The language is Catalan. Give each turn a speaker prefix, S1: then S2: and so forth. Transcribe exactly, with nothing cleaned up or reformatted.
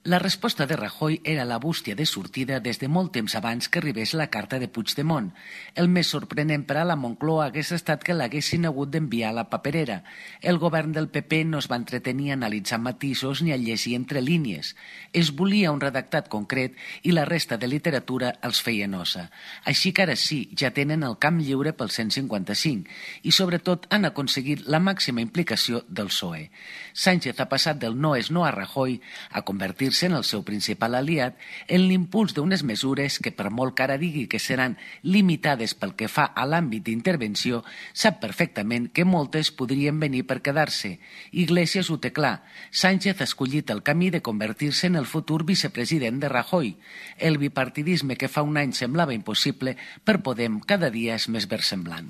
S1: La resposta de Rajoy era la bústia de sortida des de molt temps abans que arribés la carta de Puigdemont. El més sorprenent per a la Moncloa hagués estat que l'haguessin hagut d'enviar a la paperera. El govern del P P no es va entretenir a analitzar matisos ni a llegir entre línies. Es volia un redactat concret i la resta de literatura els feia nosa. Així que ara sí, ja tenen el camp lliure pel cent cinquanta-cinc i sobretot han aconseguit la màxima implicació del P S O E. Sánchez ha passat del no és no a Rajoy a convertir en el seu principal aliat en l'impuls d'unes mesures que, per molt que ara digui que seran limitades pel que fa a l'àmbit d'intervenció, sap perfectament que moltes podrien venir per quedar-se. Iglesias ho té clar. Sánchez ha escollit el camí de convertir-se en el futur vicepresident de Rajoy. El bipartidisme que fa un any semblava impossible, per Podem cada dia és més versemblant.